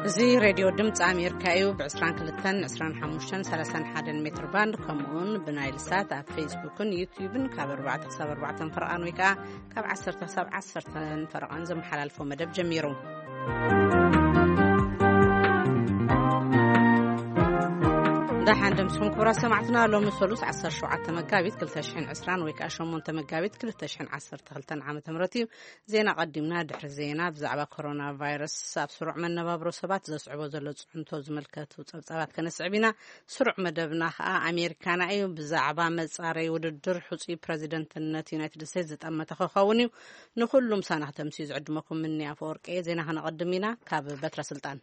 እዚ ሬድዮ ድምፂ ኣሜሪካ እዩ። ብ22፣ 25፣ 31 ሜትር ባንድ፣ ከምኡውን ብናይል ሳት ኣብ ፌስቡክን ዩትዩብን ካብ ኣርባዕተ ክሳብ ኣርባዕተ ፈረቓን ወይ ከዓ ካብ ዓሰርተ ክሳብ ዓሰርተ ፈረቓን ዘመሓላልፎ መደብ ጀሚሩ። ደሓን ደምስኹም ክቡራት ሰማዕትና። ሎሚ ሰሉስ ዓሰርተ ሸውዓተ መጋቢት ክልተ ሽሕን ዕስራን ወይ ከዓ ሸሞንተ መጋቢት ክልተ ሽሕን ዓሰርተ ክልተን ዓመተ ምህረት እዩ። ዜና ቀዲምና። ድሕሪ ዜና ብዛዕባ ኮሮና ቫይረስ ኣብ ስሩዕ መነባብሮ ሰባት ዘስዕቦ ዘሎ ፅዕንቶ ዝምልከቱ ፀብፃባት ከነስዕብ ኢና። ስሩዕ መደብና ከዓ ኣሜሪካና እዩ። ብዛዕባ መፃረይ ውድድር ሕፁይ ፕረዚደንትነት ዩናይትድ ስቴትስ ዝጠመተ ክኸውን እዩ። ንኩሉ ምሳና ክተምስዩ ዝዕድመኩም ምኒ ኣፈወርቂ እየ። ዜና ከነቐድም ኢና። ካብ በትረ ስልጣን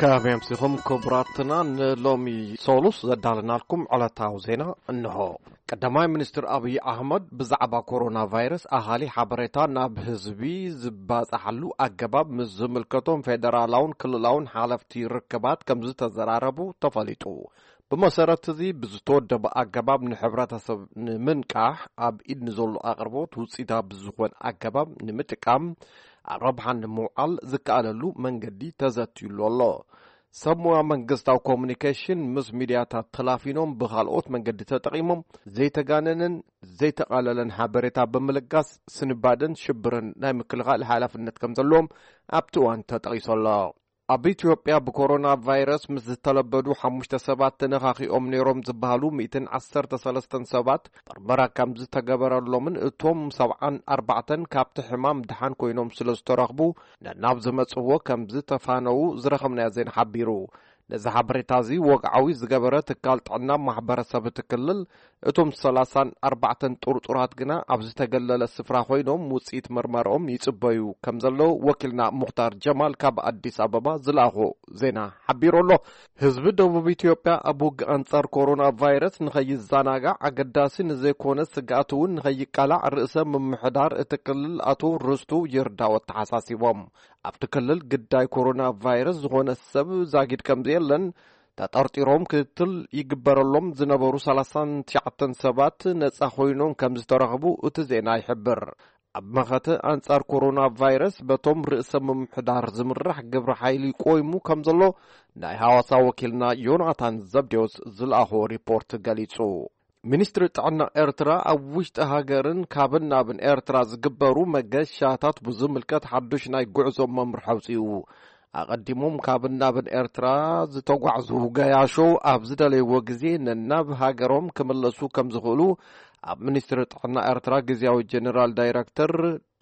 ከመይ ኣምሲኹም ክቡራትና? ንሎሚ ሶሉስ ዘዳለናልኩም ዕለታዊ ዜና እንሆ። ቀዳማይ ሚኒስትር ኣብይ ኣሕመድ ብዛዕባ ኮሮና ቫይረስ ኣሃሊ ሓበሬታ ናብ ህዝቢ ዝባጻሓሉ ኣገባብ ምስ ዝምልከቶም ፌደራላውን ክልላውን ሓለፍቲ ርክባት ከም ዝተዘራረቡ ተፈሊጡ። ብመሰረት እዚ ብዝተወደበ ኣገባብ ንሕብረተሰብ ንምንቃሕ ኣብ ኢድ ንዘሎ ኣቕርቦት ውፅኢታዊ ብዝኾን ኣገባብ ንምጥቃም ኣብ ረብሓ ንምውዓል ዝከኣለሉ መንገዲ ተዘትዩሉ ኣሎ። ሰብ ሞያ መንግስታዊ ኮሙኒኬሽን ምስ ሚድያታት ተላፊኖም ብኻልኦት መንገዲ ተጠቒሞም ዘይተጋነንን ዘይተቓለለን ሓበሬታ ብምልጋስ ስንባደን ሽብርን ናይ ምክልኻል ሓላፍነት ከም ዘለዎም ኣብቲ እዋን ተጠቒሱ ኣሎ። ኣብ ኢትዮጵያ ብኮሮና ቫይረስ ምስ ዝተለበዱ ሓሙሽተ ሰባት ተነኻኺኦም ነይሮም ዝበሃሉ ሚእትን ዓሰርተ ሰለስተን ሰባት መርመራ ከም ዝተገበረሎምን እቶም ሰብዓን ኣርባዕተን ካብቲ ሕማም ድሓን ኮይኖም ስለ ዝተረኽቡ ነናብ ዝመጽዎ ከም ዝተፋነዉ ዝረኸብናዮ ዜና ሓቢሩ። ነዚ ሓበሬታ እዚ ወግዓዊ ዝገበረ ትካል ጥዕና ማሕበረሰብ እቲ ክልል፣ እቶም ሰላሳን ኣርባዕተን ጥርጡራት ግና ኣብ ዝተገለለ ስፍራ ኮይኖም ውጽኢት መርመራኦም ይጽበዩ ከም ዘለዉ ወኪልና ሙኽታር ጀማል ካብ ኣዲስ ኣበባ ዝለኣኾ ዜና ሓቢሩ ኣሎ። ህዝቢ ደቡብ ኢትዮጵያ ኣብ ውግእ ኣንጻር ኮሮና ቫይረስ ንኸይዘናጋዕ ኣገዳሲ ንዘይኮነ ስግኣት እውን ንኸይቃላዕ ርእሰ ምምሕዳር እቲ ክልል ኣቶ ርስቱ ይርዳው ኣተሓሳሲቦም። ኣብቲ ክልል ግዳይ ኮሮና ቫይረስ ዝኾነ ሰብ ዛጊድ ከም ዘየለን ተጠርጢሮም ክትትል ይግበረሎም ዝነበሩ ሰላሳን ትሽዓተን ሰባት ነጻ ኮይኖም ከም ዝተረኽቡ እቲ ዜና ይሕብር። ኣብ መኸተ ኣንጻር ኮሮና ቫይረስ በቶም ርእሰ ምምሕዳር ዝምራሕ ግብረ ሓይሊ ቆይሙ ከም ዘሎ ናይ ሃዋሳ ወኪልና ዮናታን ዘብዴዎስ ዝለኣኾ ሪፖርት ገሊጹ። ሚኒስትሪ ጥዕና ኤርትራ ኣብ ውሽጢ ሃገርን ካብን ናብን ኤርትራ ዝግበሩ መገሻታት ብዝምልከት ሓዱሽ ናይ ጉዕዞ መምርሒ ኣውጺኡ። ኣቐዲሞም ካብን ናብን ኤርትራ ዝተጓዕዙ ገያሾ ኣብ ዝደለይዎ ግዜ ነናብ ሃገሮም ክምለሱ ከም ዝኽእሉ ኣብ ሚኒስትሪ ጥዕና ኤርትራ ግዝያዊ ጀነራል ዳይረክተር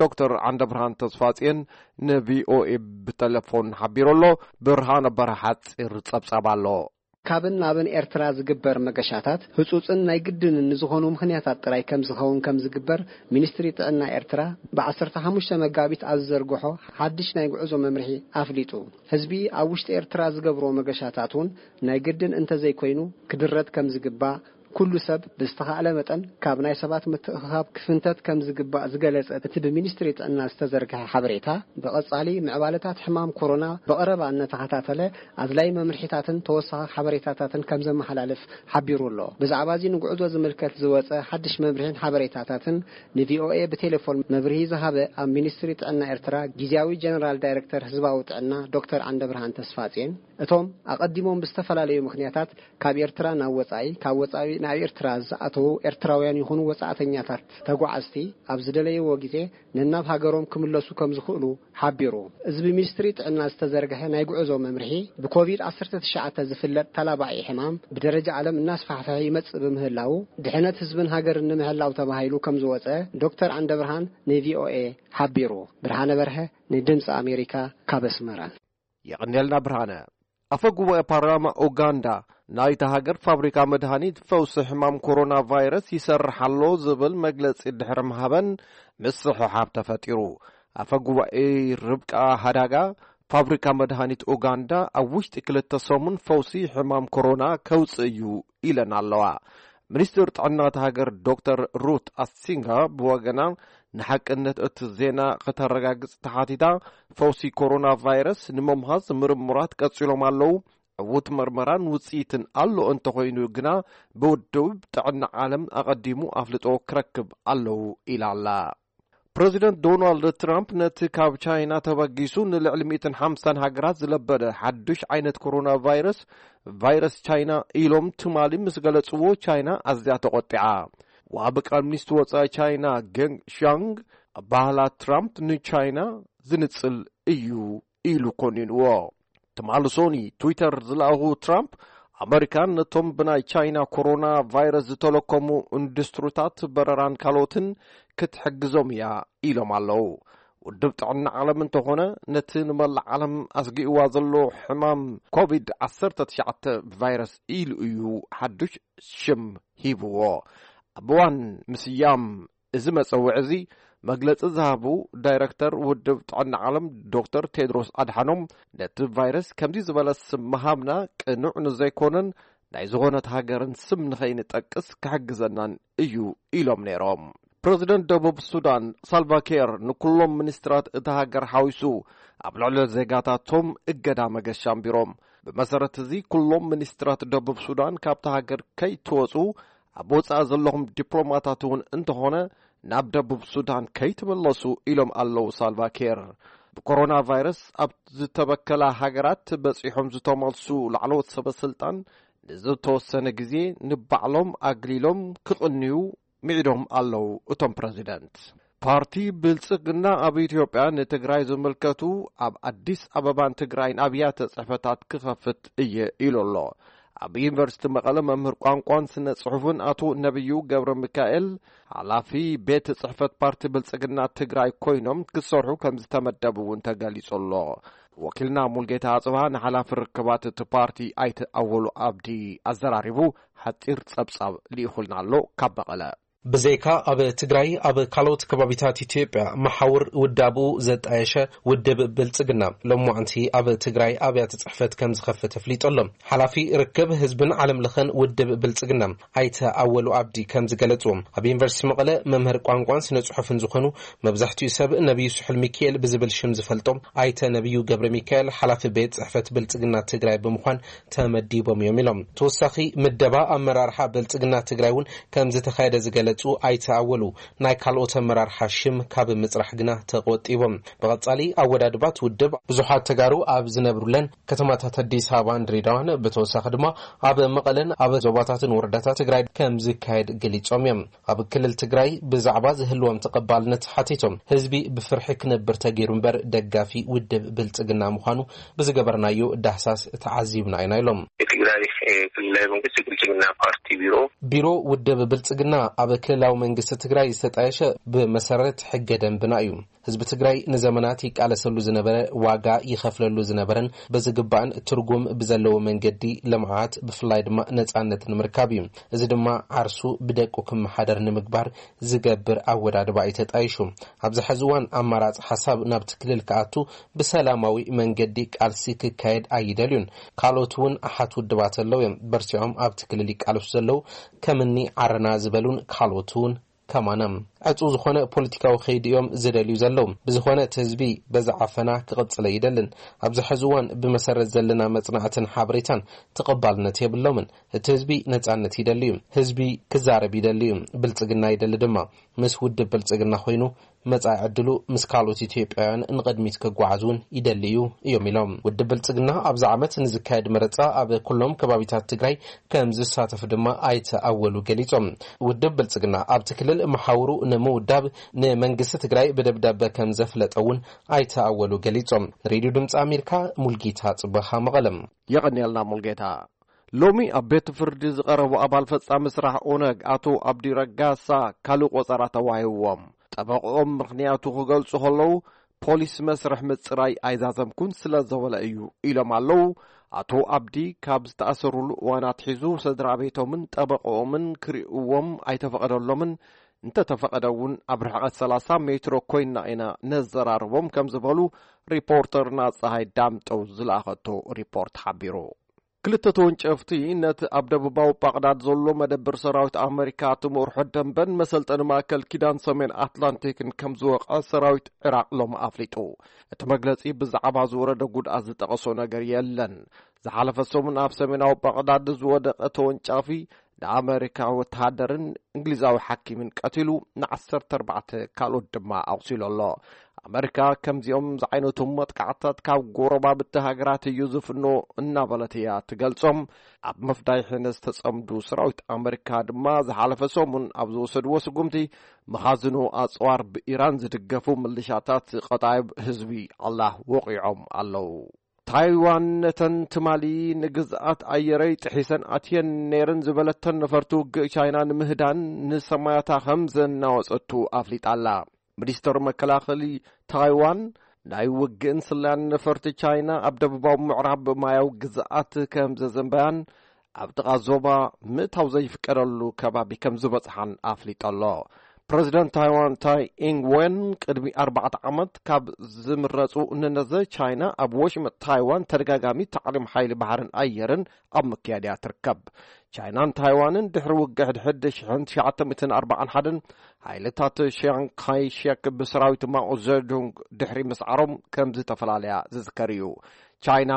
ዶክተር ዓንደብርሃን ተስፋጽዮን ንቪኦኤ ብተሌፎን ሓቢሩ ኣሎ። ብርሃነ በርሀ ሓጺር ጸብጻብ ኣሎ። ካብን ናብን ኤርትራ ዝግበር መገሻታት ህጹጽን ናይ ግድንን ንዝኾኑ ምኽንያታት ጥራይ ከም ዝኸውን ከም ዝግበር ሚኒስትሪ ጥዕና ኤርትራ ብ15 መጋቢት ኣብ ዝዘርግሖ ሓድሽ ናይ ጉዕዞ መምርሒ ኣፍሊጡ። ህዝቢ ኣብ ውሽጢ ኤርትራ ዝገብሮ መገሻታት እውን ናይ ግድን እንተዘይኮይኑ ክድረት ከም ዝግባእ፣ ኩሉ ሰብ ብዝተኻእለ መጠን ካብ ናይ ሰባት ምትእኽኻብ ክፍንተት ከም ዝግባእ ዝገለጸ እቲ ብሚኒስትሪ ጥዕና ዝተዘርግሐ ሓበሬታ፣ ብቐጻሊ ምዕባለታት ሕማም ኮሮና ብቐረባ እናተኸታተለ ኣድላይ መምርሒታትን ተወሳኺ ሓበሬታታትን ከም ዘመሓላልፍ ሓቢሩ ኣሎ። ብዛዕባ እዚ ንጉዕዞ ዝምልከት ዝወጸ ሓድሽ መምርሒን ሓበሬታታትን ንቪኦኤ ብቴሌፎን መብርሂ ዝሃበ ኣብ ሚኒስትሪ ጥዕና ኤርትራ ግዝያዊ ጀነራል ዳይረክተር ህዝባዊ ጥዕና ዶክተር ዓንደብርሃን ተስፋጽዮን፣ እቶም ኣቐዲሞም ብዝተፈላለዩ ምኽንያታት ካብ ኤርትራ ናብ ወጻኢ፣ ካብ ወጻኢ ናብ ኤርትራ ዝኣተዉ ኤርትራውያን ይኹኑ ወጻእተኛታት ተጓዓዝቲ ኣብ ዝደለይዎ ግዜ ነናብ ሃገሮም ክምለሱ ከም ዝኽእሉ ሓቢሩ። እዚ ብሚኒስትሪ ጥዕና ዝተዘርግሐ ናይ ጉዕዞ መምርሒ ብኮቪድ ዓሰርተ ትሽዓተ ዝፍለጥ ተላባዒ ሕማም ብደረጃ ዓለም እናስፋሕፈሐ ይመጽእ ብምህላዉ ድሕነት ህዝብን ሃገርን ንምሕላው ተባሂሉ ከም ዝወጸ ዶክተር ዓንደብርሃን ንቪኦኤ ሓቢሩ። ብርሃነ በርሀ ንድምፂ ኣሜሪካ ካብ ኣስመራ። የቐንየልና ብርሃነ። ኣፈ ጉባኤ ፓርላማ ኡጋንዳ ናይታ ሃገር ፋብሪካ መድሃኒት ፈውሲ ሕማም ኮሮና ቫይረስ ይሰርሕ ኣሎ ዝብል መግለጺ ድሕሪ ምሃበን ምስሕሓብ ተፈጢሩ። ኣፈ ጉባኤ ርብቃ ሃዳጋ ፋብሪካ መድሃኒት ኡጋንዳ ኣብ ውሽጢ ክልተ ሰሙን ፈውሲ ሕማም ኮሮና ከውጽእ እዩ ኢለን ኣለዋ። ሚኒስትር ጥዕና እታ ሃገር ዶክተር ሩት ኣሲንጋ ብወገና ንሓቅነት እቲ ዜና ከተረጋግጽ ተሓቲታ፣ ፈውሲ ኮሮና ቫይረስ ንምምሃዝ ምርምራት ቀጺሎም ኣለዉ። ዕዉት መርመራን ውጽኢትን ኣሎ እንተኾይኑ ግና ብውድብ ጥዕና ዓለም ኣቐዲሙ ኣፍልጦ ክረክብ ኣለዉ ኢላ ኣላ። ፕረዚደንት ዶናልድ ትራምፕ ነቲ ካብ ቻይና ተበጊሱ ንልዕሊ ሚእትን ሓምሳን ሃገራት ዝለበደ ሓዱሽ ዓይነት ኮሮና ቫይረስ፣ ቫይረስ ቻይና ኢሎም ትማሊ ምስ ገለጽዎ፣ ቻይና ኣዝያ ተቖጢዓ። ወሃቢ ቃል ሚኒስትሪ ወጻኢ ቻይና ገንግ ሻንግ፣ ኣባህላ ትራምፕ ንቻይና ዝንጽል እዩ ኢሉ ኮኒንዎ። ትማሊ ሶኒ ትዊተር ዝለኣኹ ትራምፕ፣ ኣመሪካን ነቶም ብናይ ቻይና ኮሮና ቫይረስ ዝተለከሙ ኢንዱስትሪታት በረራን ካልኦትን ክትሕግዞም እያ ኢሎም ኣለዉ። ውድብ ጥዕና ዓለም እንተኾነ፣ ነቲ ንመላእ ዓለም ኣስጊእዋ ዘሎ ሕማም ኮቪድ ዓሰርተ ትሽዓተ ቫይረስ ኢሉ እዩ ሓዱሽ ሽም ሂብዎ። ኣብ እዋን ምስያም እዚ መጸውዒ እዚ መግለጺ ዝሃቡ ዳይረክተር ውድብ ጥዕና ዓለም ዶክተር ቴድሮስ ኣድሓኖም፣ ነቲ ቫይረስ ከምዚ ዝበለ ስም ምሃብና ቅኑዕ ንዘይኮነን ናይ ዝኾነት ሃገርን ስም ንኸይንጠቅስ ክሕግዘናን እዩ ኢሎም ነይሮም። ፕረዚደንት ደቡብ ሱዳን ሳልቫኪር ንኩሎም ሚኒስትራት እታ ሃገር ሓዊሱ ኣብ ልዕሊ ዜጋታቶም እገዳ መገሻ ኣንቢሮም። ብመሰረት እዚ ኩሎም ሚኒስትራት ደቡብ ሱዳን ካብታ ሃገር ከይትወጹ፣ ኣብ ወጻኢ ዘለኹም ዲፕሎማታት እውን እንተኾነ ናብ ደቡብ ሱዳን ከይትምለሱ ኢሎም ኣለዉ ሳልቫኪር። ብኮሮና ቫይረስ ኣብ ዝተበከላ ሃገራት በጺሖም ዝተመልሱ ላዕለዎት ሰበ ስልጣን ንዝተወሰነ ግዜ ንባዕሎም ኣግሊሎም ክቕንዩ ምዒዶም ኣለዉ እቶም ፕረዚደንት። ፓርቲ ብልጽግና ኣብ ኢትዮጵያ ንትግራይ ዝምልከቱ ኣብ ኣዲስ ኣበባን ትግራይን ኣብያተ ጽሕፈታት ክኸፍት እየ ኢሉ ኣሎ። ኣብ ዩኒቨርሲቲ መቐለ መምህር ቋንቋን ስነ ጽሑፍን ኣቶ ነብዩ ገብረ ሚካኤል፣ ሓላፊ ቤት ጽሕፈት ፓርቲ ብልጽግና ትግራይ ኮይኖም ክሰርሑ ከም ዝተመደቡ እውን ተገሊጹ ኣሎ። ወኪልና ሙልጌታ ኣጽብሃ ንሓላፊ ርክባት እቲ ፓርቲ ኣይተ ኣወሉ ኣብዲ ኣዘራሪቡ ሓጺር ጸብጻብ ልኢኹልና ኣሎ ካብ መቐለ። ብዘይካ ኣብ ትግራይ፣ ኣብ ካልኦት ከባቢታት ኢትዮጵያ መሓውር ውዳብኡ ዘጣየሸ ውድብ ብልጽግና፣ ሎማዕንቲ ኣብ ትግራይ ኣብያተ ጽሕፈት ከም ዝኸፍት ኣፍሊጡ ኣሎ። ሓላፊ ርክብ ህዝብን ዓለም ለኸን ውድብ ብልጽግና፣ ኣይተ ኣወሉ ኣብዲ ከም ዝገለጽዎ፣ ኣብ ዩኒቨርሲቲ መቐለ መምህር ቋንቋን ስነ ጽሑፍን ዝኾኑ፣ መብዛሕትኡ ሰብ ነብዩ ስሑል ሚካኤል ብዝብል ሽም ዝፈልጦም ኣይተ ነብዩ ገብረ ሚካኤል፣ ሓላፊ ቤት ጽሕፈት ብልጽግና ትግራይ ብምዃን ተመዲቦም እዮም ኢሎም። ተወሳኺ ምደባ ኣመራርሓ ብልጽግና ትግራይ እውን ከም ዝተኻየደ ዝገለጹ ኣይተ ኣወሉ፣ ናይ ካልኦት ኣመራርሓ ሽም ካብ ምጽራሕ ግና ተቆጢቦም። ብቐጻሊ ኣወዳድባት ውድብ ብዙሓት ተጋሩ ኣብ ዝነብሩለን ከተማታት ኣዲስ ኣበባን ድሬዳዋን፣ ብተወሳኺ ድማ ኣብ መቐለን ኣብ ዞባታትን ወረዳታት ትግራይ ከም ዝካየድ ገሊጾም እዮም። ኣብ ክልል ትግራይ ብዛዕባ ዝህልዎም ተቐባልነት ሓቲቶም፣ ህዝቢ ብፍርሒ ክነብር ተገይሩ እምበር ደጋፊ ውድብ ብልጽግና ምዃኑ ብዝገበርናዮ ዳህሳስ ተዓዚብና ኢና ኢሎም። የትግራይ ክልላዊ መንግስቲ ብልጽግና ፓርቲ ቢሮ። ቢሮ ውድብ ብልጽግና ኣብ ክልላዊ መንግስቲ ትግራይ ዝተጣየሸ ብመሰረት ሕገ ደንብና እዩ። ህዝቢ ትግራይ ንዘመናት ይቃለሰሉ ዝነበረ፣ ዋጋ ይኸፍለሉ ዝነበረን በዝግባእን ትርጉም ብዘለዎ መንገዲ ልምዓት፣ ብፍላይ ድማ ነጻነት ንምርካብ እዩ። እዚ ድማ ዓርሱ ብደቁ ክመሓደር ንምግባር ዝገብር ኣወዳድባ እዩ ተጣይሹ። ኣብዚ ሕዚ እዋን ኣማራጺ ሓሳብ ናብቲ ክልል ክኣቱ ብሰላማዊ መንገዲ ቃልሲ ክካየድ ኣይደልዩን። ካልኦት እውን ኣሓት ውድባት ኣለዉ እዮም። በርቲዖም ኣብቲ ክልል ይቃለሱ ዘለዉ ከምኒ ዓረና ዝበሉን ካልኦት እውን ከማና ዕጹ ዝኾነ ፖለቲካዊ ከይዲ እዮም ዝደልዩ ዘለዉ። ብዝኾነ እቲ ህዝቢ በዚ ዓፈና ክቕጽል ኣይደልን። ኣብዚ ሕዚ እዋን ብመሰረት ዘለና መጽናዕትን ሓበሬታን ተቐባልነት የብሎምን። እቲ ህዝቢ ነጻነት ይደሊ እዩ። ህዝቢ ክዛረብ ይደሊ እዩ። ብልጽግና ይደሊ ድማ። ምስ ውድብ ብልጽግና ኮይኑ መጻኢ ዕድሉ ምስ ካልኦት ኢትዮጵያውያን ንቕድሚት ክጓዓዝ እውን ይደሊ እዩ እዮም ኢሎም። ውድብ ብልጽግና ኣብዚ ዓመት ንዝካየድ መረጻ ኣብ ኩሎም ከባቢታት ትግራይ ከም ዝሳተፍ ድማ ኣይተ ኣወሉ ገሊጾም። ውድብ ብልጽግና ኣብቲ ክልል መሓውሩ ንምውዳብ ንመንግስቲ ትግራይ ብደብዳበ ከም ዘፍለጠ እውን ኣይተ ኣወሉ ገሊጾም። ንሬድዮ ድምፂ ኣሜሪካ ሙልጌታ ጽበኻ መቐለም። የቐንየልና ሙልጌታ። ሎሚ ኣብ ቤት ፍርዲ ዝቐረቡ ኣባል ፈጻሚ ስራሕ ኦነግ ኣቶ ኣብዲ ረጋሳ ካልእ ቆጸራ ተዋሂብዎም። ጠበቕኦም ምኽንያቱ ክገልጹ ከለዉ፣ ፖሊስ መስርሕ ምጽራይ ኣይዛዘምኩን ስለ ዘበለ እዩ ኢሎም ኣለዉ። ኣቶ ኣብዲ ካብ ዝተኣሰሩሉ እዋን ኣትሒዙ ስድራ ቤቶምን ጠበቕኦምን ክርእይዎም ኣይተፈቐደሎምን፣ እንተተፈቐደ እውን ኣብ ርሕቐት ሰላሳ ሜትሮ ኮይንና ኢና ነዘራርቦም ከም ዝበሉ ሪፖርተርና ጸሃይ ዳምጠው ዝለኣኸቶ ሪፖርት ሓቢሩ። ክልተ ተወንጨፍቲ ነቲ ኣብ ደቡባዊ ባቕዳድ ዘሎ መደብር ሰራዊት ኣመሪካ ትምርሖ ደንበን መሰልጠኒ ማእከል ኪዳን ሰሜን ኣትላንቲክን ከም ዝወቕዐ ሰራዊት ዒራቕ ሎሚ ኣፍሊጡ። እቲ መግለጺ ብዛዕባ ዝወረደ ጉድኣት ዝጠቐሶ ነገር የለን። ዝሓለፈ ሰሙን ኣብ ሰሜናዊ ባቕዳድ ዝወደቐ ተወንጫፊ ንኣመሪካ ወተሃደርን እንግሊዛዊ ሓኪምን ቀቲሉ፣ ን14 ካልኦት ድማ ኣቑሲሉ ኣሎ። ኣመሪካ ከምዚኦም ዝዓይነቱ መጥቃዕታት ካብ ጎረባብቲ ሃገራት እዩ ዝፍኖ እናበለት እያ ትገልጾም። ኣብ መፍዳይሒ ዝተጸምዱ ሰራዊት ኣመሪካ ድማ ዝሓለፈ ሰሙን ኣብ ዝወሰድዎ ስጉምቲ፣ መኻዝኑ ኣጽዋር ብኢራን ዝድገፉ ምልሻታት ቀጣይብ ህዝቢ ኣላህ ወቒዖም ኣለዉ። ታይዋን ነተን ትማሊ ንግዝኣት ኣየረይ ጥሒሰን ኣትየን ነይረን ዝበለተን ነፈርቲ ውግእ ቻይና ንምህዳን ንሰማያታ ከም ዘናወጸቱ ኣፍሊጣ ኣላ። ሚኒስተር መከላኸሊ ታይዋን፣ ናይ ውግእን ስለያን ነፈርቲ ቻይና ኣብ ደቡባዊ ምዕራብ ማያዊ ግዝኣት ከም ዘዘንበያን ኣብ ጥቓ ዞባ ምእታው ዘይፍቀደሉ ከባቢ ከም ዝበጽሓን ኣፍሊጡ ኣሎ። ፕረዚደንት ታይዋን ታይ ኢንግ ወን ቅድሚ ኣርባዕተ ዓመት ካብ ዝምረጹ ንነዘ፣ ቻይና ኣብ ወሽመጥ ታይዋን ተደጋጋሚ ታዕሊም ሓይሊ ባሕርን ኣየርን ኣብ ምክያድ እያ ትርከብ። ቻይናን ታይዋንን ድሕሪ ውግእ ሕድሕድ ሽሕን ትሽዓተ ሚእትን ኣርባዓን ሓደን ሓይልታት ሺያንግ ካይ ሼክ ብሰራዊት ማኦ ዘዱንግ ድሕሪ ምስዓሮም ከም ዝተፈላለያ ዝዝከር እዩ። ቻይና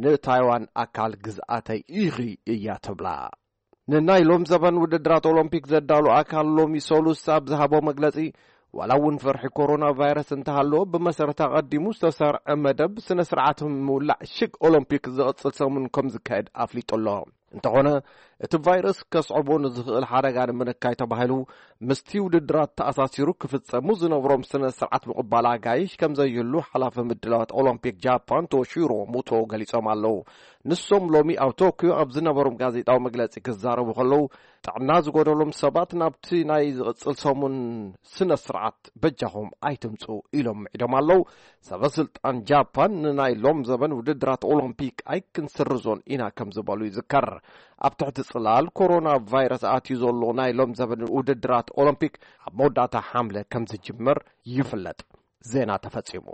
ንታይዋን ኣካል ግዝኣተይ ኢኺ እያ ትብላ። ንናይ ሎም ዘበን ውድድራት ኦሎምፒክ ዘዳሉ ኣካል ሎሚ ሰሉስ ኣብ ዝሃቦ መግለጺ፣ ዋላ እውን ፍርሒ ኮሮና ቫይረስ እንተሃለዎ፣ ብመሰረት ኣቐዲሙ ዝተሰርዐ መደብ ስነ ስርዓት ምውላዕ ሽግ ኦሎምፒክ ዝቕጽል ሰሙን ከም ዝካየድ ኣፍሊጡ ኣሎ። እንተኾነ፣ እቲ ቫይረስ ከስዕቦ ንዝኽእል ሓደጋ ንምንካይ ተባሂሉ፣ ምስቲ ውድድራት ተኣሳሲሩ ክፍጸሙ ዝነብሮም ስነ ስርዓት ምቕባል ኣጋይሽ ከም ዘይህሉ ሓላፊ ምድላዋት ኦሎምፒክ ጃፓን ቶሺሮ ሙቶ ገሊጾም ኣለዉ። ንሶም ሎሚ ኣብ ቶክዮ ኣብ ዝነበሮም ጋዜጣዊ መግለጺ ክዛረቡ ከለዉ፣ ጥዕና ዝጎደሎም ሰባት ናብቲ ናይ ዝቕጽል ሰሙን ስነ ስርዓት በጃኹም ኣይትምጹ ኢሎም ምዒዶም ኣለዉ። ሰበ ስልጣን ጃፓን ንናይ ሎም ዘበን ውድድራት ኦሎምፒክ ኣይክንስርዞን ኢና ከም ዝበሉ ይዝከር። ኣብ ትሕቲ ጽላል ኮሮና ቫይረስ ኣትዩ ዘሎ ናይ ሎም ዘበን ውድድራት ኦሎምፒክ ኣብ መወዳእታ ሓምለ ከም ዝጅምር ይፍለጥ። ዜና ተፈጺሙ።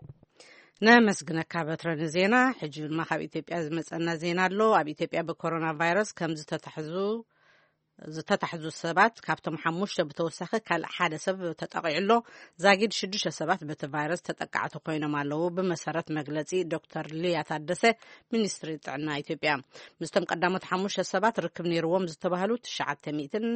ነመስግነካ በትረ ንዜና። ሕጂ ድማ ካብ ኢትዮጵያ ዝመጸና ዜና ኣሎ። ኣብ ኢትዮጵያ ብኮሮና ቫይረስ ከም ዝተታሕዙ ዝተታሕዙ ሰባት ካብቶም ሓሙሽተ ብተወሳኺ ካልእ ሓደ ሰብ ተጠቒዑ ኣሎ። ዛጊድ ሽዱሽተ ሰባት በቲ ቫይረስ ተጠቃዕቲ ኮይኖም ኣለዉ፣ ብመሰረት መግለጺ ዶክተር ሊያ ታደሰ፣ ሚኒስትሪ ጥዕና ኢትዮጵያ። ምስቶም ቀዳሞት ሓሙሽተ ሰባት ርክብ ነይርዎም ዝተባህሉ ትሽዓተ ሚእትን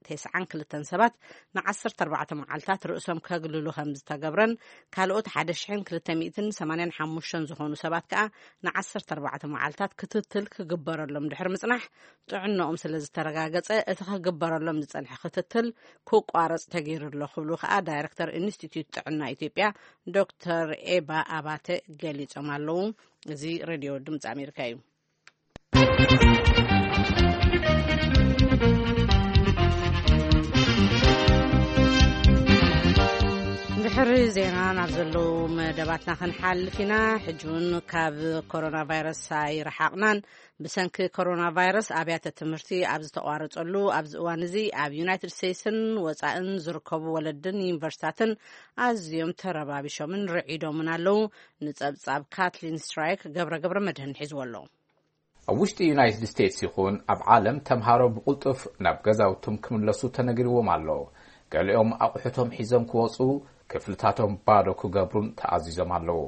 ተስዓን ክልተን ሰባት ን ዓሰርተ ኣርባዕተ መዓልታት ርእሶም ከግልሉ ከም ዝተገብረን፣ ካልኦት ሓደ ሽሕን ክልተ ሚእትን ሰማንያን ሓሙሽተን ዝኾኑ ሰባት ከኣ ን ዓሰርተ ኣርባዕተ መዓልታት ክትትል ክግበረሎም ድሕሪ ምጽናሕ፣ ጥዕንኦም ስለ ዝተረጋገጸ፣ እቲ ክግበረሎም ዝጸንሐ ክትትል ክቋረጽ ተገይሩ ኣሎ ክብሉ ከኣ ዳይረክተር ኢንስቲትዩት ጥዕና ኢትዮጵያ ዶክተር ኤባ ኣባተ ገሊጾም ኣለዉ። እዚ ሬድዮ ድምጺ ኣሜሪካ እዩ። ድሕሪ ዜና ናብ ዘለዉ መደባትና ክንሓልፍ ኢና። ሕጂ እውን ካብ ኮሮና ቫይረስ ኣይረሓቕናን። ብሰንኪ ኮሮና ቫይረስ ኣብያተ ትምህርቲ ኣብ ዝተቋረጸሉ ኣብዚ እዋን እዚ፣ ኣብ ዩናይትድ ስቴትስን ወጻእን ዝርከቡ ወለድን ዩኒቨርሲታትን ኣዝዮም ተረባቢሾምን ርዒዶምን ኣለዉ። ንጸብጻብ ካትሊን ስትራይክ ገብረ ገብረ መድህን ሒዝዎ ኣሎ። ኣብ ውሽጢ ዩናይትድ ስቴትስ ይኹን ኣብ ዓለም፣ ተምሃሮ ብቕልጡፍ ናብ ገዛውቶም ክምለሱ ተነጊርዎም ኣሎ። ገሊኦም ኣቑሑቶም ሒዞም ክወጹ፣ ክፍልታቶም ባዶ ክገብሩን ተኣዚዞም ኣለዉ።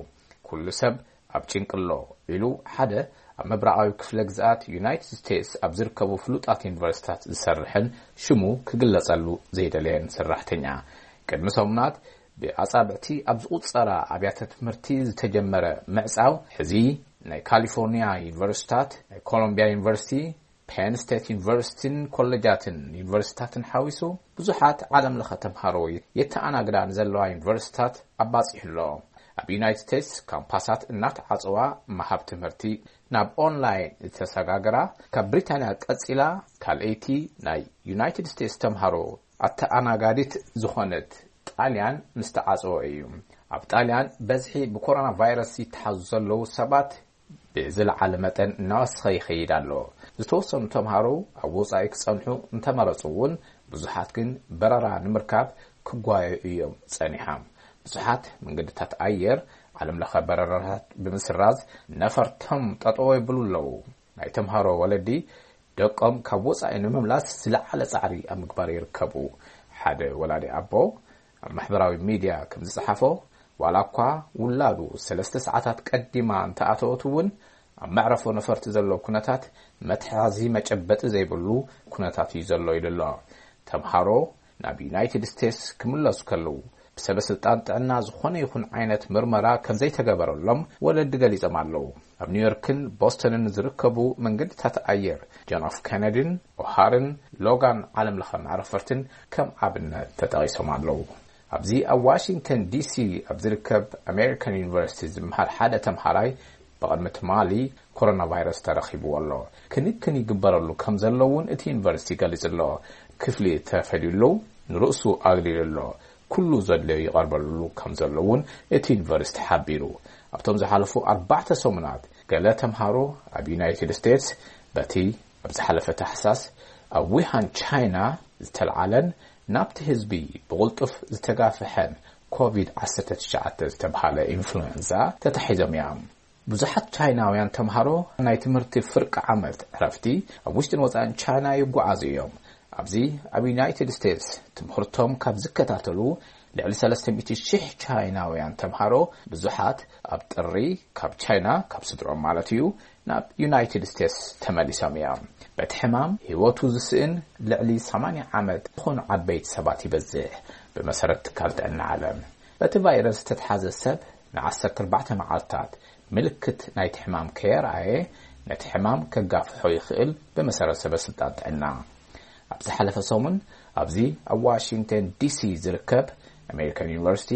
ኩሉ ሰብ ኣብ ጭንቂ ኣሎ፣ ኢሉ ሓደ ኣብ ምብራቓዊ ክፍለ ግዝኣት ዩናይትድ ስቴትስ ኣብ ዝርከቡ ፍሉጣት ዩኒቨርሲታት ዝሰርሕን ሽሙ ክግለጸሉ ዘይደለየን ሰራሕተኛ። ቅድሚ ሰሙናት ብኣጻብዕቲ ኣብ ዝቑጸራ ኣብያተ ትምህርቲ ዝተጀመረ ምዕጻው፣ ሕዚ ናይ ካሊፎርኒያ ዩኒቨርሲታት፣ ናይ ኮሎምቢያ ዩኒቨርሲቲ፣ ፔን ስቴት ዩኒቨርሲቲን ኮሌጃትን ዩኒቨርሲታትን ሓዊሱ ብዙሓት ዓለም ለኸ ተምሃሮ የተኣናግዳ ንዘለዋ ዩኒቨርሲታት ኣባጺሑ ኣሎ። ኣብ ዩናይትድ ስቴትስ ካምፓሳት እናተዓጸዋ ምሃብ ትምህርቲ ናብ ኦንላይን ዝተሰጋገራ፣ ካብ ብሪታንያ ቀጺላ ካልኣይቲ ናይ ዩናይትድ ስቴትስ ተምሃሮ ኣተኣናጋዲት ዝኾነት ጣልያን ምስ ተዓጸወ እዩ። ኣብ ጣልያን በዝሒ ብኮሮና ቫይረስ ይተሓዙ ዘለዉ ሰባት ብዝለዓለ መጠን እናወሰኸ ይኸይድ ኣሎ። ዝተወሰኑ ተምሃሮ ኣብ ወጻኢ ክጸንሑ እንተመረጹ እውን፣ ብዙሓት ግን በረራ ንምርካብ ክጓየዩ እዮም ጸኒሖም። ብዙሓት መንገድታት ኣየር ዓለም ለኸ በረራታት ብምስራዝ ነፈርቶም ጠጠው የብሉ ኣለዉ። ናይ ተምሃሮ ወለዲ ደቆም ካብ ወጻኢ ንምምላስ ዝለዓለ ጻዕሪ ኣብ ምግባር ይርከቡ። ሓደ ወላዲ ኣቦ ኣብ ማሕበራዊ ሚድያ ከም ዝጸሓፎ፣ ዋላ እኳ ውላዱ ሰለስተ ሰዓታት ቀዲማ እንተኣተወት እውን፣ ኣብ መዕረፎ ነፈርቲ ዘሎ ኩነታት መትሓዚ መጨበጢ ዘይብሉ ኩነታት እዩ ዘሎ ኢሉ ኣሎ። ተምሃሮ ናብ ዩናይትድ ስቴትስ ክምለሱ ከለዉ ብሰበ ስልጣን ጥዕና ዝኾነ ይኹን ዓይነት ምርመራ ከም ዘይተገበረሎም ወለዲ ገሊጾም ኣለዉ። ኣብ ኒውዮርክን ቦስተንን ዝርከቡ መንገድታት ኣየር ጆን ኤፍ ኬነዲን ኦሃርን ሎጋን ዓለም ለኸ መዕረፈርትን ከም ኣብነት ተጠቒሶም ኣለዉ። ኣብዚ ኣብ ዋሽንግተን ዲሲ ኣብ ዝርከብ ኣሜሪካን ዩኒቨርሲቲ ዝመሃር ሓደ ተምሃራይ ብቕድሚ ትማሊ ኮሮና ቫይረስ ተረኺብዎ ኣሎ። ክንክን ይግበረሉ ከም ዘሎ እውን እቲ ዩኒቨርሲቲ ገሊጹ ኣሎ። ክፍሊ ተፈልዩሉ ንርእሱ ኣግሊሉ ኣሎ። ኩሉ ዘድለዮ ይቐርበሉ ከም ዘሎ እውን እቲ ዩኒቨርሲቲ ሓቢሩ። ኣብቶም ዝሓለፉ ኣርባዕተ ሰሙናት ገለ ተምሃሮ ኣብ ዩናይትድ ስቴትስ በቲ ኣብ ዝሓለፈ ታሕሳስ ኣብ ዊሃን ቻይና ዝተልዓለን ናብቲ ህዝቢ ብቕልጡፍ ዝተጋፍሐን ኮቪድ ዓሰርተ ትሽዓተ ዝተብሃለ ኢንፍሉዌንዛ ተታሒዞም እዮም። ብዙሓት ቻይናውያን ተምሃሮ ናይ ትምህርቲ ፍርቂ ዓመት ዕረፍቲ ኣብ ውሽጥን ወጻእን ቻይና ይጓዓዙ እዮም። ኣብዚ ኣብ ዩናይትድ ስቴትስ ትምህርቶም ካብ ዝከታተሉ ልዕሊ ሰለስተ ሚእቲ ሺሕ ቻይናውያን ተምሃሮ ብዙሓት ኣብ ጥሪ ካብ ቻይና፣ ካብ ስድሮም ማለት እዩ፣ ናብ ዩናይትድ ስቴትስ ተመሊሶም እዮም። በቲ ሕማም ህይወቱ ዝስእን ልዕሊ ሰማንያ ዓመት ዝኾኑ ዓበይቲ ሰባት ይበዝሕ፣ ብመሰረት ትካል ጥዕና ዓለም። በቲ ቫይረስ ዝተትሓዘ ሰብ ንዓሰርተ ኣርባዕተ መዓልታት ምልክት ናይቲ ሕማም ከየርኣየ ነቲ ሕማም ከጋፍሖ ይኽእል፣ ብመሰረት ሰበ ስልጣን ጥዕና። ኣብ ዝሓለፈ ሰሙን ኣብዚ ኣብ ዋሽንግተን ዲሲ ዝርከብ ኣሜሪካን ዩኒቨርሲቲ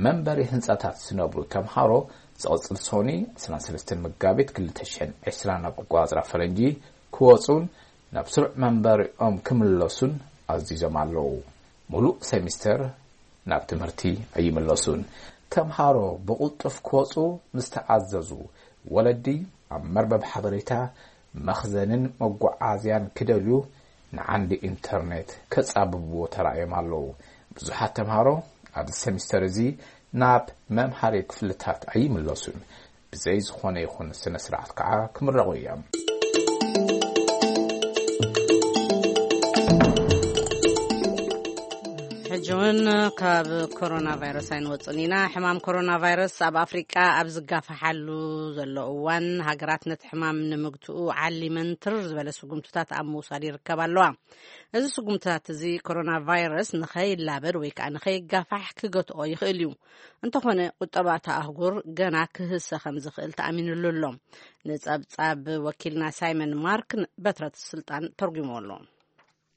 መንበሪ ህንጻታት ዝነብሩ ተምሃሮ ዝቕጽል ሶኒ ዕስራን ሰለስተን መጋቢት ክልተ ሽሕን ዕስራን ኣቆጻጽራ ፈረንጂ ክወጹን ናብ ስሩዕ መንበሪኦም ክምለሱን ኣዚዞም ኣለዉ። ሙሉእ ሴሚስተር ናብ ትምህርቲ ኣይምለሱን። ተምሃሮ ብቕልጡፍ ክወጹ ምስ ተኣዘዙ፣ ወለዲ ኣብ መርበብ ሓበሬታ፣ መኽዘንን መጓዓዝያን ክደልዩ ንዓንዲ ኢንተርኔት ከጻብብዎ ተራእዮም ኣለዉ። ብዙሓት ተምሃሮ ኣብዚ ሴሚስተር እዚ ናብ መምሃሪ ክፍልታት ኣይምለሱን። ብዘይ ዝኾነ ይኹን ስነ ስርዓት ከዓ ክምረቑ እዮም። ሕጂ እውን ካብ ኮሮና ቫይረስ ኣይንወፅን ኢና። ሕማም ኮሮና ቫይረስ ኣብ ኣፍሪቃ ኣብ ዝጋፋሓሉ ዘሎ እዋን፣ ሃገራት ነቲ ሕማም ንምግትኡ ዓሊመን ትርር ዝበለ ስጉምትታት ኣብ ምውሳድ ይርከባ ኣለዋ። እዚ ስጉምትታት እዚ ኮሮና ቫይረስ ንኸይላበድ ወይ ከዓ ንኸይጋፋሕ ክገትኦ ይኽእል እዩ። እንተኾነ፣ ቁጠባ እታ ኣህጉር ገና ክህሰ ከም ዝኽእል ተኣሚኑሉ ኣሎ። ንጸብጻብ ወኪልና ሳይመን ማርክ በትረት ስልጣን ተርጉምዎ ኣሎ።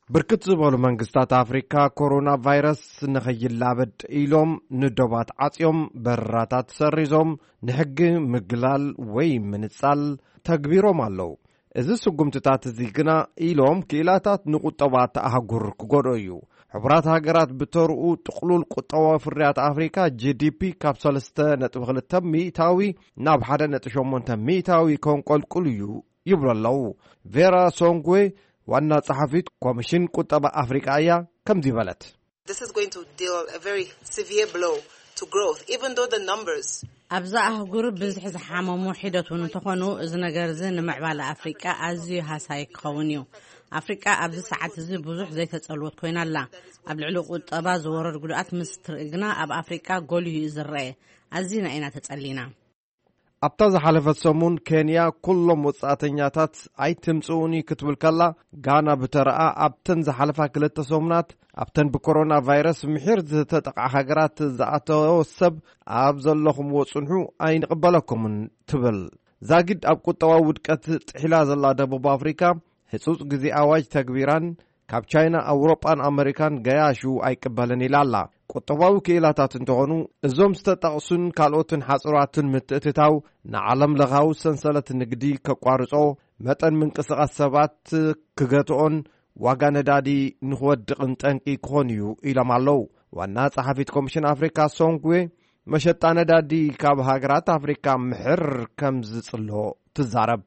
ብርክት ዝበሉ መንግስታት ኣፍሪካ ኮሮና ቫይረስ ንኸይላበድ ኢሎም ንዶባት ዓጽዮም፣ በረራታት ሰሪዞም፣ ንሕጊ ምግላል ወይ ምንጻል ተግቢሮም ኣለዉ። እዚ ስጉምትታት እዚ ግና ኢሎም ክኢላታት ንቁጠባ እታ ኣህጉር ክጎድኦ እዩ። ሕቡራት ሃገራት ብተርኡ ጥቕሉል ቁጠባዊ ፍርያት ኣፍሪካ ጂ ዲ ፒ ካብ ሰለስተ ነጥቢ ክልተ ሚእታዊ ናብ ሓደ ነጥቢ ሸሞንተ ሚእታዊ ከንቆልቁል እዩ ይብሉ ኣለዉ። ቬራ ሶንግዌ ዋና ጸሓፊት ኮሚሽን ቁጠባ ኣፍሪካ እያ ከምዚ በለት። This is going to deal a very severe blow to growth, even though the numbers ኣብዛ ኣህጉር ብዝሒ ዝሓመሙ ሒደት እውን እንተኾኑ፣ እዚ ነገር እዚ ንምዕባለ ኣፍሪቃ ኣዝዩ ሃሳይ ክኸውን እዩ። ኣፍሪቃ ኣብዚ ሰዓት እዚ ብዙሕ ዘይተጸልወት ኮይና ኣላ። ኣብ ልዕሊ ቁጠባ ዝወረድ ጉድኣት ምስ ትርኢ ግና፣ ኣብ ኣፍሪቃ ጎሊሁ እዩ ዝረአ። ኣዚና ኢና ተጸሊና። ኣብታ ዝሓለፈት ሰሙን ኬንያ ኩሎም ወጻእተኛታት ኣይትምጽኡኒ ክትብል ከላ፣ ጋና ብተረኣ ኣብተን ዝሓለፋ ክልተ ሰሙናት ኣብተን ብኮሮና ቫይረስ ምሒር ዝተጠቕዓ ሃገራት ዝኣተወ ሰብ ኣብ ዘለኹምዎ ጽንሑ ኣይንቕበለኩምን ትብል። ዛጊድ ኣብ ቁጠባዊ ውድቀት ጥሒላ ዘላ ደቡብ ኣፍሪካ ህጹጽ ግዜ ኣዋጅ ተግቢራን ካብ ቻይና፣ ኣውሮጳን ኣመሪካን ገያሹ ኣይቅበልን ኢላ ኣላ። ቁጠባዊ ክኢላታት እንተኾኑ፣ እዞም ዝተጠቕሱን ካልኦትን ሓጽራትን ምትእትታው ንዓለም ለኻዊ ሰንሰለት ንግዲ ከቋርጾ፣ መጠን ምንቅስቓስ ሰባት ክገትኦን ዋጋ ነዳዲ ንኽወድቕን ጠንቂ ክኾን እዩ ኢሎም ኣለዉ። ዋና ጸሓፊት ኮሚሽን ኣፍሪካ ሶንግዌ፣ መሸጣ ነዳዲ ካብ ሃገራት ኣፍሪካ ምሕር ከም ዝጽሎ ትዛረብ።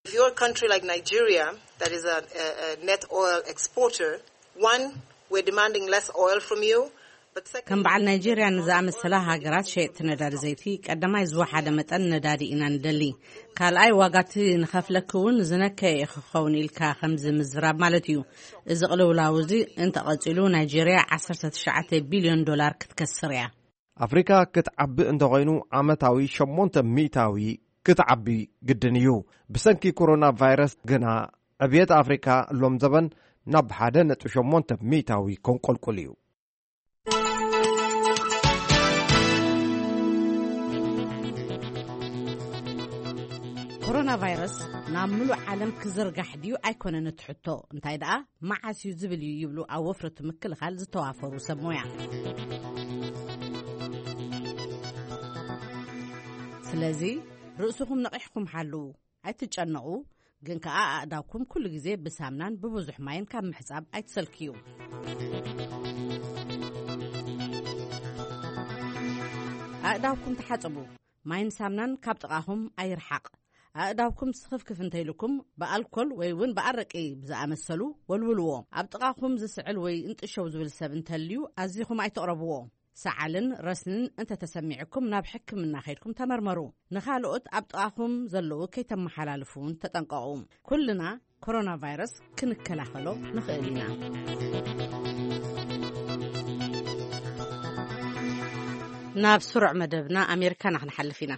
If you're a country like Nigeria, that is a, a, a net oil exporter, one, we're demanding less oil from you, but ከም second, በዓል ናይጄርያ ንዝኣመሰላ ሃገራት ሸየጥቲ ነዳዲ ዘይቲ፣ ቀዳማይ ዝወሓደ መጠን ነዳዲ ኢና ንደሊ። ካልኣይ፣ ዋጋቲ ንኸፍለኪ እውን ዝነከየ ክኸውን ኢልካ ከምዚ ምዝራብ ማለት እዩ። እዚ ቅልውላው እዚ እንተቐጺሉ፣ ናይጄርያ ዓሰርተ ትሽዓተ ቢልዮን ዶላር ክትከስር እያ። ኣፍሪካ ክትዓቢ እንተኾይኑ ዓመታዊ ሸሞንተ ሚእታዊ ክትዓቢ ግድን እዩ። ብሰንኪ ኮሮና ቫይረስ ግና ዕብየት ኣፍሪካ ሎም ዘበን ናብ ሓደ ነጥቢ ሸሞንተ ሚእታዊ ከንቆልቁል እዩ። ኮሮና ቫይረስ ናብ ምሉእ ዓለም ክዝርጋሕ ድዩ ኣይኮነን እቲ ሕቶ፣ እንታይ ደኣ መዓስ እዩ ዝብል እዩ ይብሉ ኣብ ወፍሪ እቲ ምክልኻል ዝተዋፈሩ ሰብ ሞያ። ስለዚ ርእስኹም ነቒሕኩም ሓልዉ፣ ኣይትጨነቑ፣ ግን ከኣ ኣእዳውኩም ኩሉ ግዜ ብሳምናን ብብዙሕ ማይን ካብ ምሕጻብ ኣይትሰልክዩ። ኣእዳውኩም ተሓጸቡ፣ ማይን ሳምናን ካብ ጥቓኹም ኣይርሓቕ። ኣእዳውኩም ስኽፍክፍ እንተኢልኩም ብኣልኮል ወይ እውን ብኣረቂ ብዝኣመሰሉ ወልውልዎ። ኣብ ጥቓኹም ዝስዕል ወይ እንጥሸው ዝብል ሰብ እንተልዩ ኣዚኹም ኣይትቕረብዎ። ሰዓልን ረስንን እንተተሰሚዕኩም ናብ ሕክምና ከይድኩም ተመርመሩ። ንኻልኦት ኣብ ጥቓኹም ዘለዉ ከይተመሓላልፉ እውን ተጠንቀቑ። ኩልና ኮሮና ቫይረስ ክንከላኸሎ ንኽእል ኢና። ናብ ስሩዕ መደብና ኣሜሪካና ክንሓልፍ ኢና።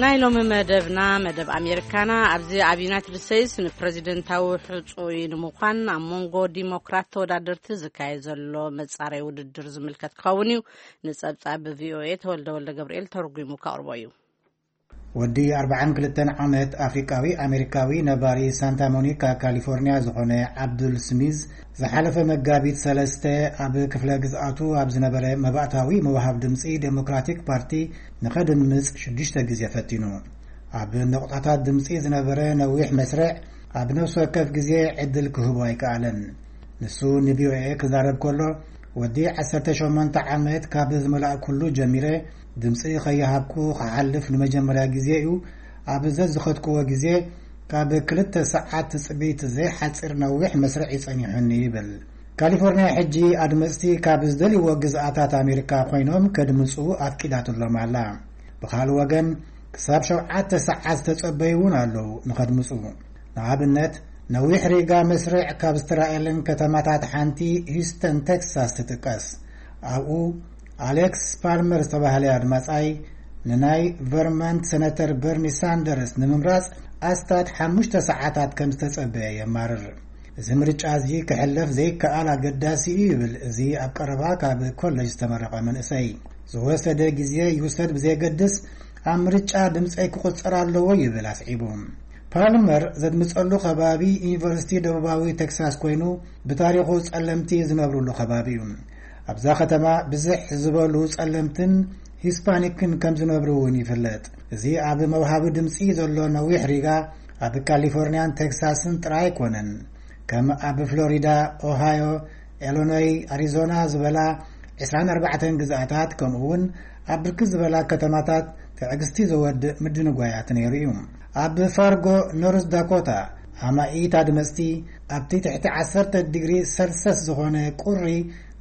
ናይ ሎሚ መደብና መደብ ኣሜሪካና ኣብዚ ኣብ ዩናይትድ ስቴትስ ንፕረዚደንታዊ ሕጹይ ንምዃን ኣብ መንጎ ዲሞክራት ተወዳደርቲ ዝካየድ ዘሎ መጻረይ ውድድር ዝምልከት ክኸውን እዩ። ንጸብጻብ ብቪኦኤ ተወልደ ወልደ ገብርኤል ተርጒሙ ከቕርቦ እዩ። ወዲ ኣርብዓን ክልተን ዓመት ኣፍሪቃዊ ኣሜሪካዊ ነባሪ ሳንታ ሞኒካ ካሊፎርኒያ ዝኾነ ዓብዱል ስሚዝ ዝሓለፈ መጋቢት ሰለስተ ኣብ ክፍለ ግዝኣቱ ኣብ ዝነበረ መባእታዊ ምውሃብ ድምፂ ዴሞክራቲክ ፓርቲ ንኸድምፅ ሽዱሽተ ግዜ ፈቲኑ። ኣብ ነቑጣታት ድምፂ ዝነበረ ነዊሕ መስርዕ ኣብ ነፍሲ ወከፍ ግዜ ዕድል ክህቦ ኣይከኣለን። ንሱ ንቪኦኤ ክዛረብ ከሎ፣ ወዲ ዓሰርተ ሸሞንተ ዓመት ካብ ዝመላእኩሉ ጀሚረ ድምፂ ከይሃብኩ ክሓልፍ ንመጀመርያ ግዜ እዩ። ኣብ ዘዝኸድክዎ ግዜ ካብ ክልተ ሰዓት ትፅቢት ዘይሓፅር ነዊሕ መስርዕ ይፀኒሑኒ ይብል። ካሊፎርኒያ ሕጂ ኣድመፅቲ ካብ ዝደልይዎ ግዝኣታት ኣሜሪካ ኮይኖም ከድምፁ ኣፍቂዳትሎም ኣላ። ብኻልእ ወገን ክሳብ ሸውዓተ ሰዓት ዝተጸበዩ እውን ኣለዉ ንኸድምጹ። ንኣብነት ነዊሕ ሪጋ መስርዕ ካብ ዝተራእየለን ከተማታት ሓንቲ ሂውስተን ቴክሳስ ትጥቀስ። ኣብኡ ኣሌክስ ፓልመር ዝተባህለ ኣድማጻይ ንናይ ቨርመንት ሰነተር በርኒ ሳንደርስ ንምምራጽ ኣስታት ሓሙሽተ ሰዓታት ከም ዝተጸበየ የማርር። እዚ ምርጫ እዚ ክሕለፍ ዘይከኣል ኣገዳሲ እዩ ይብል እዚ ኣብ ቀረባ ካብ ኮለጅ ዝተመረቐ መንእሰይ። ዝወሰደ ግዜ ይውሰድ ብዘየገድስ ኣብ ምርጫ ድምፀይ ክቑፀር ኣለዎ ይብል ኣስዒቡ። ፓልመር ዘድምፀሉ ከባቢ ዩኒቨርሲቲ ደቡባዊ ቴክሳስ ኮይኑ ብታሪኹ ፀለምቲ ዝነብሩሉ ከባቢ እዩ። ኣብዛ ከተማ ብዝሕ ዝበሉ ጸለምትን ሂስፓኒክን ከም ዝነብሩ እውን ይፍለጥ። እዚ ኣብ መውሃቢ ድምጺ ዘሎ ነዊሕ ሪጋ ኣብ ካሊፎርኒያን ቴክሳስን ጥራይ ኣይኮነን። ከም ኣብ ፍሎሪዳ፣ ኦሃዮ፣ ኢሎኖይ፣ ኣሪዞና ዝበላ ዕስራን ኣርባዕተን ግዝኣታት፣ ከምኡ እውን ኣብ ብርክት ዝበላ ከተማታት ትዕግስቲ ዘወድእ ምድንጓያት ነይሩ እዩ። ኣብ ፋርጎ፣ ኖርዝ ዳኮታ፣ ኣማኢት ኣድመፅቲ ኣብቲ ትሕቲ ዓሰርተ ዲግሪ ሰልሰስ ዝኾነ ቁሪ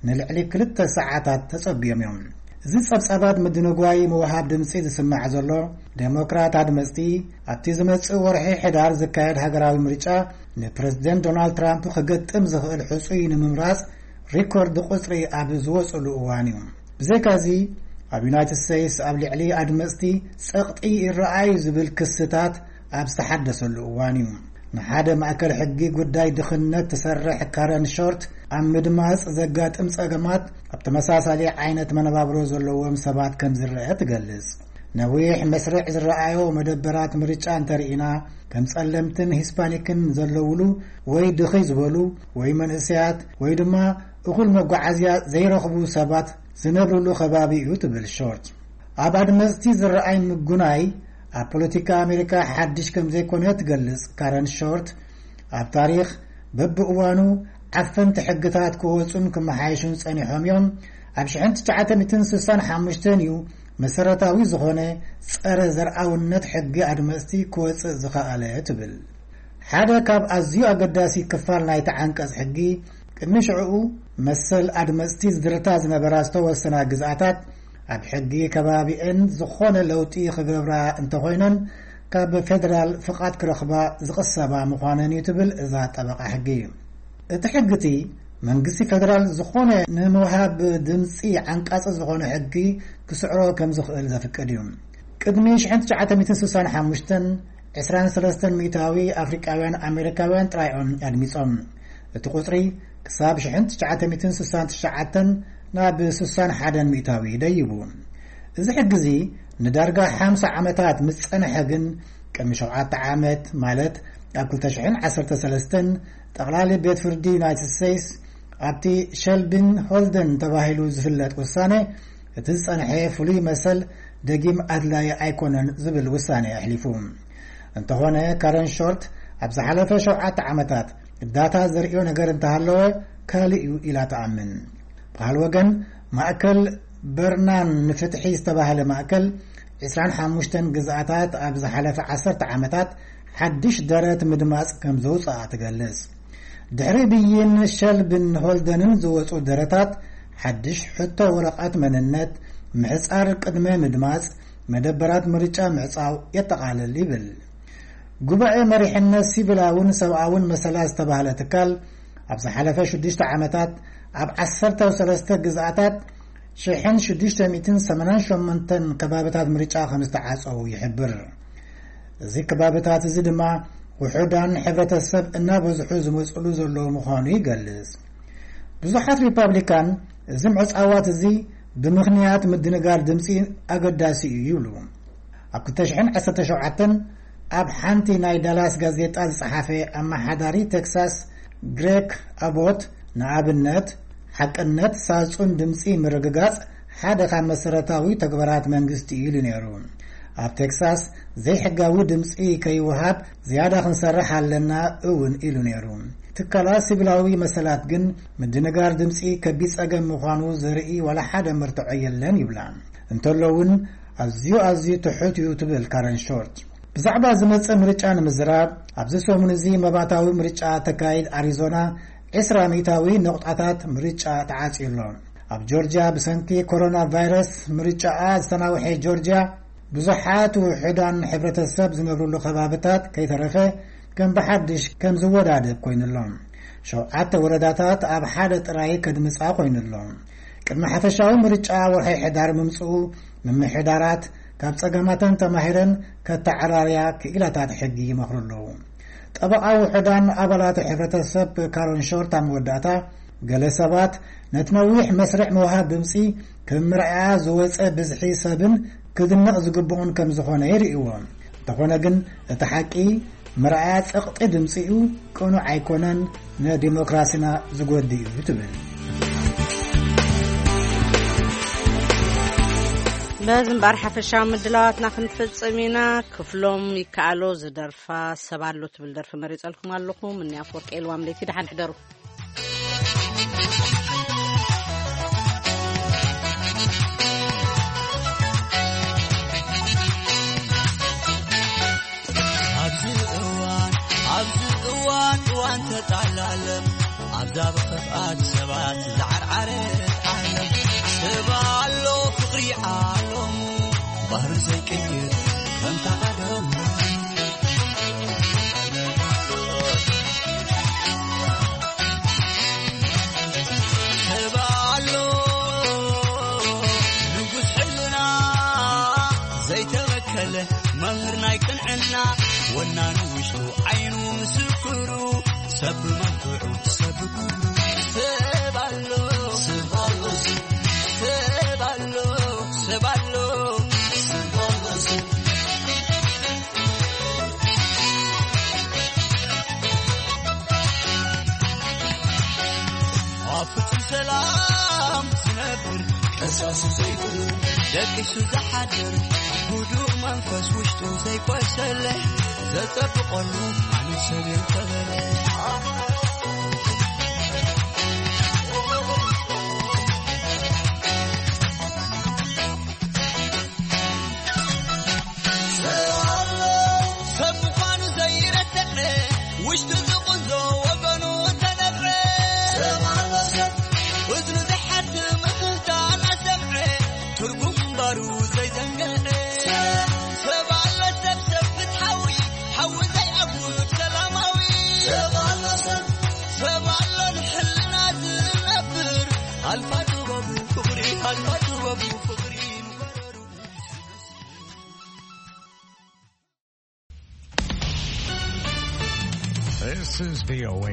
ንልዕሊ ክልተ ሰዓታት ተጸብዮም እዮም። እዚ ጸብጻባት ምድንጓይ ምውሃብ ድምጺ ዝስማዕ ዘሎ፣ ዴሞክራት ኣድመጽቲ ኣብቲ ዝመጽእ ወርሒ ሕዳር ዝካየድ ሃገራዊ ምርጫ ንፕረዚደንት ዶናልድ ትራምፕ ክገጥም ዝኽእል ሕጹይ ንምምራጽ ሪኮርድ ቁጽሪ ኣብ ዝወጽሉ እዋን እዩ። ብዘይካዚ፣ ኣብ ዩናይትድ ስቴትስ ኣብ ልዕሊ ኣድመጽቲ ጸቕጢ ይረኣዩ ዝብል ክስታት ኣብ ዝተሓደሰሉ እዋን እዩ። ንሓደ ማእከል ሕጊ ጉዳይ ድኽነት ትሰርሕ ካረን ሾርት፣ ኣብ ምድማጽ ዘጋጥም ጸገማት ኣብ ተመሳሳሊ ዓይነት መነባብሮ ዘለዎም ሰባት ከም ዝረአ ትገልጽ። ነዊሕ መስርዕ ዝረኣዮ መደበራት ምርጫ እንተርኢና፣ ከም ጸለምትን ሂስፓኒክን ዘለውሉ ወይ ድኺ ዝበሉ ወይ መንእሰያት ወይ ድማ እኹል መጓዓዝያ ዘይረኽቡ ሰባት ዝነብርሉ ከባቢ እዩ ትብል ሾርት። ኣብ ኣድመጽቲ ዝረኣይ ምጉናይ ኣብ ፖለቲካ ኣሜሪካ ሓድሽ ከም ዘይኮነ ትገልጽ ካረን ሾርት፣ ኣብ ታሪኽ በብእዋኑ ዓፈንቲ ሕግታት ክወጹን ክመሓየሹን ጸኒሖም እዮም። ኣብ ሽሕን ትሽዓተ ሚእትን ስሳን ሓሙሽተን እዩ መሰረታዊ ዝኾነ ጸረ ዘርኣውነት ሕጊ ኣድመጽቲ ክወጽእ ዝኸኣለ ትብል። ሓደ ካብ ኣዝዩ ኣገዳሲ ክፋል ናይቲ ዓንቀጽ ሕጊ፣ ቅድሚ ሽዕኡ መሰል ኣድመጽቲ ዝድርታ ዝነበራ ዝተወሰና ግዝኣታት ኣብ ሕጊ ከባቢኤን ዝኾነ ለውጢ ክገብራ እንተኾይነን ካብ ፌደራል ፍቓድ ክረኽባ ዝቕሰባ ምዃነን እዩ ትብል እዛ ጠበቓ ሕጊ። እቲ ሕጊ እቲ መንግስቲ ፌደራል ዝኾነ ንምውሃብ ድምፂ ዓንቃፂ ዝኾነ ሕጊ ክስዕሮ ከም ዝኽእል ዘፍቅድ እዩ። ቅድሚ ሽሕን ትሽዓተ ሚእትን ስሳን ሓሙሽተን፣ ዕስራን ሰለስተን ሚእታዊ ኣፍሪቃውያን ኣሜሪካውያን ጥራይ እዮም ኣድሚፆም። እቲ ቁፅሪ ክሳብ ሽሕን ትሽዓተ ሚእትን ስሳን ትሽዓተን ናብ ስሳን ሓደን ሚእታዊ ደይቡ። እዚ ሕጊ እዚ ንዳርጋ ሓምሳ ዓመታት ምስ ጸንሐ ግን፣ ቅድሚ ሸውዓተ ዓመት፣ ማለት ኣብ ክልተ ሽሕን ዓሰርተ ሰለስተን፣ ጠቕላሊ ቤት ፍርዲ ዩናይትድ ስቴትስ ኣብቲ ሸልቢን ሆልደን ተባሂሉ ዝፍለጥ ውሳነ፣ እቲ ዝጸንሐ ፍሉይ መሰል ደጊም ኣድላዪ ኣይኮነን ዝብል ውሳነ ኣሕሊፉ። እንተኾነ፣ ካረን ሾርት ኣብ ዝሓለፈ ሸውዓተ ዓመታት ዳታ ዘርእዮ ነገር እንተሃለወ ካልእ እዩ ኢላ ትኣምን። ብኻልእ ወገን፣ ማእከል በርናን ንፍትሒ ዝተባህለ ማእከል፣ ዕስራን ሓሙሽተን ግዝኣታት ኣብ ዝሓለፈ ዓሰርተ ዓመታት ሓድሽ ደረት ምድማጽ ከም ዘውጽኣ ትገልጽ። ድሕሪ ብይን ሸልብን ሆልደንን ዝወጹ ደረታት፣ ሓድሽ ሕቶ ወረቐት መንነት፣ ምሕጻር ቅድመ ምድማጽ፣ መደበራት ምርጫ ምዕጻው የጠቓልል ይብል። ጉባኤ መሪሕነት ሲቪላውን ሰብኣውን መሰላት ዝተባህለ ትካል፣ ኣብ ዝሓለፈ ሽዱሽተ ዓመታት ኣብ ዓሰርተ ሰለስተ ግዝኣታት ሽሕን ሽዱሽተ ሚእትን ሰማንያን ሸሞንተን ከባብታት ምርጫ ከም ዝተዓጸዉ ይሕብር። እዚ ከባብታት እዚ ድማ ውሑዳን ሕብረተሰብ እናበዝሑ ዝመጽሉ ዘለዉ ምዃኑ ይገልጽ። ብዙሓት ሪፓብሊካን እዚ ምዕጻዋት እዚ ብምኽንያት ምድንጋር ድምጺ ኣገዳሲ እዩ ይብሉ። ኣብ ክልተ ሽሕን ዓሰርተ ሸውዓተን ኣብ ሓንቲ ናይ ዳላስ ጋዜጣ ዝጸሓፈ ኣመሓዳሪ ቴክሳስ ግሬክ ኣቦት፣ ንኣብነት፣ ሓቅነት ሳጹን ድምጺ ምርግጋጽ ሓደ ካብ መሰረታዊ ተግባራት መንግስቲ እዩ ኢሉ ነይሩ። ኣብ ቴክሳስ ዘይሕጋዊ ድምጺ ከይወሃብ ዝያዳ ክንሰርሕ ኣለና እውን ኢሉ ነይሩ። ትካላት ሲቪላዊ መሰላት ግን ምድንጋር ድምጺ ከቢድ ጸገም ምዃኑ ዘርኢ ዋላ ሓደ መርትዖ የለን ይብላ። እንተሎ እውን ኣዝዩ ኣዝዩ ትሑት እዩ ትብል ካረን ሾርት። ብዛዕባ ዝመጽእ ምርጫ ንምዝራብ፣ ኣብዚ ሰሙን እዚ መባእታዊ ምርጫ ተካይድ ኣሪዞና ዕስራ ሚእታዊ ነቑጣታት ምርጫ ተዓጽዩ ኣሎ። ኣብ ጆርጅያ ብሰንኪ ኮሮና ቫይረስ ምርጫኣ ዝተናውሐ ጆርጅያ፣ ብዙሓት ውሑዳን ሕብረተሰብ ዝነብሩሉ ከባብታት ከይተረፈ ከም ብሓድሽ ከም ዝወዳደብ ኮይኑሎም። ሸውዓተ ወረዳታት ኣብ ሓደ ጥራይ ከድምጻ ኮይኑሎም። ቅድሚ ሓፈሻዊ ምርጫ ወርሒ ሕዳር ምምጽኡ፣ ምምሕዳራት ካብ ጸገማተን ተማሂረን ከተዓራርያ ክኢላታት ሕጊ ይመኽሩ ኣለዉ። ጠበቓ ውሑዳን ኣባላት ሕብረተሰብ ካሮን ሾርት ኣብ መወዳእታ፣ ገለ ሰባት ነቲ ነዊሕ መስርዕ ምውሃብ ድምጺ ከም መርኣያ ዝወጸ ብዝሒ ሰብን ክድነቕ ዝግብኡን ከም ዝኾነ ይርእይዎ። እንተኾነ ግን፣ እቲ ሓቂ፣ መርኣያ ጸቕጢ ድምጺ እዩ፣ ቅኑዕ ኣይኮነን፣ ንዲሞክራሲና ዝጎድእ እዩ ትብል። በዚ እምበኣር ሓፈሻዊ ምድላዋትና ክንፍጽም ኢና። ክፍሎም ይከኣሎ ዝደርፋ ሰብ ኣሎ ትብል ደርፊ መሪጸልኩም ኣለኹ። ምኒ ኣፈወርቂ ኤልዋም ለይቲ፣ ደሓን ሕደሩ። ኣብዚ እዋን፣ ኣብዚ እዋን፣ እዋን ተጣላለም፣ ኣብዛ ብኽፍኣት ሰባት ዝዓርዓረ ዓለም፣ ሰብ ኣሎ ፍቕሪ ዓለሙ፣ ባህሪ ዘይቅይር ከምታ ቀደሙ። ሰብ ኣሎ ንጉስ ሕልና፣ ዘይተበከለ መምህር ናይ ቅንዕና፣ ወናኑ ውሽጡ ዓይኑ ምስክሩ፣ ሰብ ብመልክዑ ሰብ ብኩሉ። ሰብ ኣሎ፣ ሰብ ኣሎ፣ ሰብ ኣሎ፣ ሰብ ኣሎ፣ ሰብ ኣሎ፣ ሰብ ኣብ ፍጹም ሰላም ዝነብር፣ ቀሳሱ ዘይብሉ፣ ደቂሱ ዝሓድር፣ ህዱእ መንፈስ ውሽጡ ዘይቆሰለ፣ ዘጸብቐሉ ማንም ሰብ የንተበለ። ሰብ ምዃኑ ዘይረትዐ፣ ውሽጡ ዝቕንዞ ወገኑ እንተነብዐ። ሰብ ኣሎ ሰብ፣ እዝኑ ዘይሓድም እትህታ እናሰምዐ፣ ትርጉም እምበሩ ዘይዘንግዐ። ሰብ ኣሎ ሰብ፣ ሰብ ፍትሓዊ፣ ሓዊ ዘይኣጉድ ሰላማዊ። ኣልፋ ጥበቡ ፍቕሪ ኣልፋ ጥበቡ ፍቕሪ This is V O A